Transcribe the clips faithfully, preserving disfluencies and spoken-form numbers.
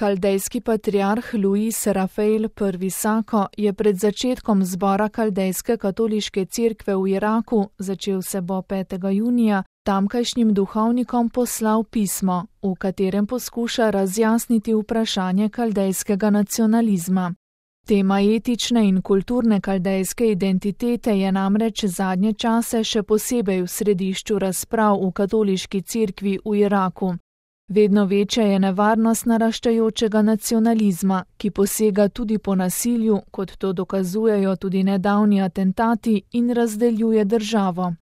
Kaldejski patriarh Luis Rafael I. Sako je pred začetkom zbora Kaldejske katoliške cerkve v Iraku, začel se bo petega junija, tamkajšnjim duhovnikom poslal pismo, v katerem poskuša razjasniti vprašanje kaldejskega nacionalizma. Tema etične in kulturne kaldejske identitete je namreč zadnje čase še posebej v središču razprav v katoliški cerkvi v Iraku. Vedno večja je nevarnost naraščajočega nacionalizma, ki posega tudi po nasilju, kot to dokazujejo tudi nedavni atentati, in razdeljuje državo.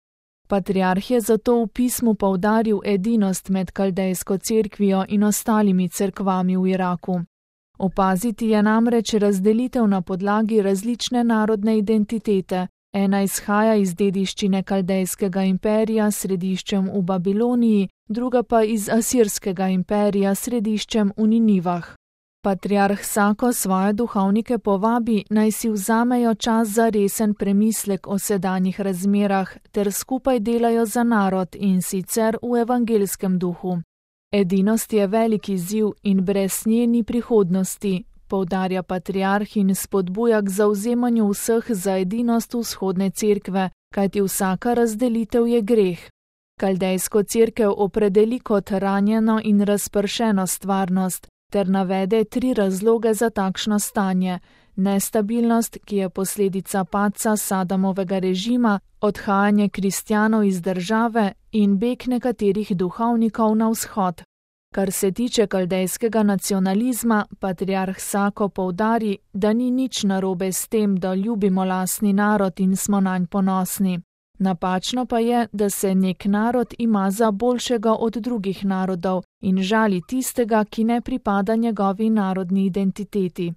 Patriarh je zato v pismu poudaril edinost med kaldejsko cerkvijo in ostalimi cerkvami v Iraku. Opaziti je namreč razdelitev na podlagi različne narodne identitete. Ena izhaja iz dediščine kaldejskega imperija s središčem v Babiloniji, druga pa iz asirskega imperija s središčem v Ninivah. Patriarh Sako svoje duhovnike povabi, naj si vzamejo čas za resen premislek o sedanjih razmerah ter skupaj delajo za narod, in sicer v evangelskem duhu. Edinost je velik izziv in brez nje ni prihodnosti, poudarja patriarh in spodbuja k zavzemanju vseh za edinost vzhodne cerkve, kajti vsaka razdelitev je greh. Kaldejsko cerkev opredeli kot ranjeno in razpršeno stvarnost ter navede tri razloge za takšno stanje: nestabilnost, ki je posledica padca Sadamovega režima, odhajanje kristjanov iz države in beg nekaterih duhovnikov na vzhod. Kar se tiče kaldejskega nacionalizma, patriarh Sako poudari, da ni nič narobe s tem, da ljubimo lastni narod in smo nanj ponosni. Napačno pa je, da se nek narod ima za boljšega od drugih narodov in žali tistega, ki ne pripada njegovi narodni identiteti.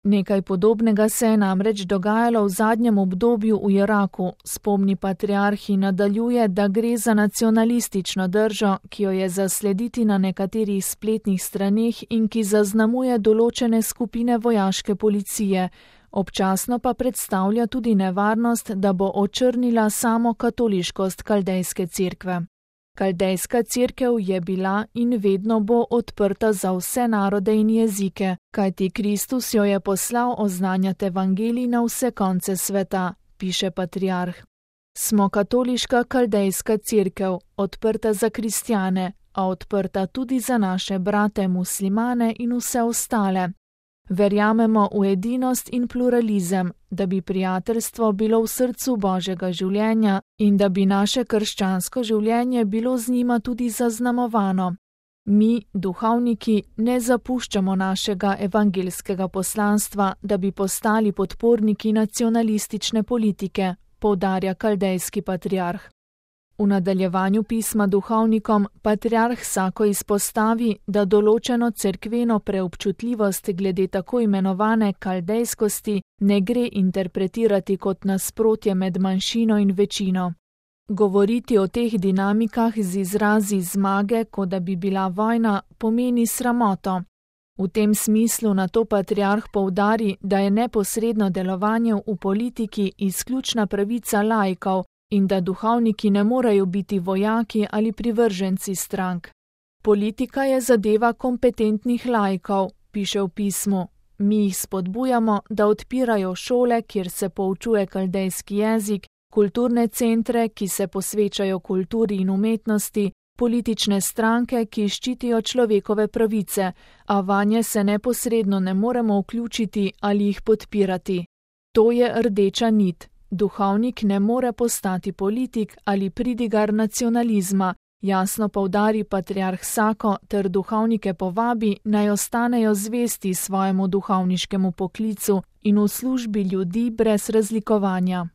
Nekaj podobnega se je namreč dogajalo v zadnjem obdobju v Iraku, spomni patriarh in nadaljuje, da gre za nacionalistično držo, ki jo je zaslediti na nekaterih spletnih straneh in ki zaznamuje določene skupine vojaške policije, občasno pa predstavlja tudi nevarnost, da bo očrnila samo katoliškost kaldejske cerkve. Kaldejska cerkev je bila in vedno bo odprta za vse narode in jezike, kajti Kristus jo je poslal oznanjati evangelij na vse konce sveta, piše patriarh. Smo katoliška kaldejska cerkev, odprta za kristjane, a odprta tudi za naše brate muslimane in vse ostale. Verjamemo v edinost in pluralizem, da bi prijateljstvo bilo v srcu Božjega življenja in da bi naše krščansko življenje bilo z njima tudi zaznamovano. Mi, duhovniki, ne zapuščamo našega evangelskega poslanstva, da bi postali podporniki nacionalistične politike, poudarja kaldejski patriarh. V nadaljevanju pisma duhovnikom patriarh Sako izpostavi, da določeno cerkveno preobčutljivost glede tako imenovane kaldejskosti ne gre interpretirati kot nasprotje med manjšino in večino. Govoriti o teh dinamikah z izrazi zmage, kot da bi bila vojna, pomeni sramoto. V tem smislu na to patriarh poudari, da je neposredno delovanje v politiki izključna pravica laikov, in da duhovniki ne morejo biti vojaki ali privrženci strank. Politika je zadeva kompetentnih laikov, piše v pismu. Mi jih spodbujamo, da odpirajo šole, kjer se poučuje kaldejski jezik, kulturne centre, ki se posvečajo kulturi in umetnosti, politične stranke, ki ščitijo človekove pravice, a vanje se neposredno ne moremo vključiti ali jih podpirati. To je rdeča nit. Duhovnik ne more postati politik ali pridigar nacionalizma, jasno poudari patriarh Sako ter duhovnike povabi, naj ostanejo zvesti svojemu duhovniškemu poklicu in v službi ljudi brez razlikovanja.